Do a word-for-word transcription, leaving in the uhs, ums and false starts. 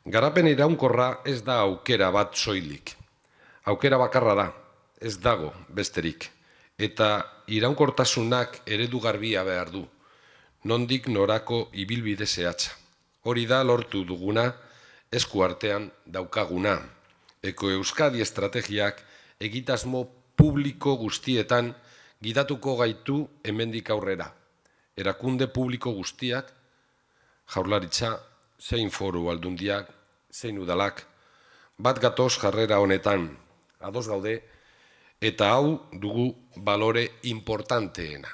Garapen iraunkorra ez da aukera bat soilik. Aukera bakarra da, ez dago besterik. Eta iraunkortasunak eredu garbia behar du, nondik norako ibilbide zehatza. Hori da lortu duguna, esku artean daukaguna. Eko Euskadi estrategiak egitasmo publiko guztietan gidatuko gaitu hemendik aurrera. Erakunde publiko guztiak, Jaurlaritza, zein foru aldundiak, zein udalak, bat gatoz jarrera honetan, ados gaude, eta hau dugu balore importanteena.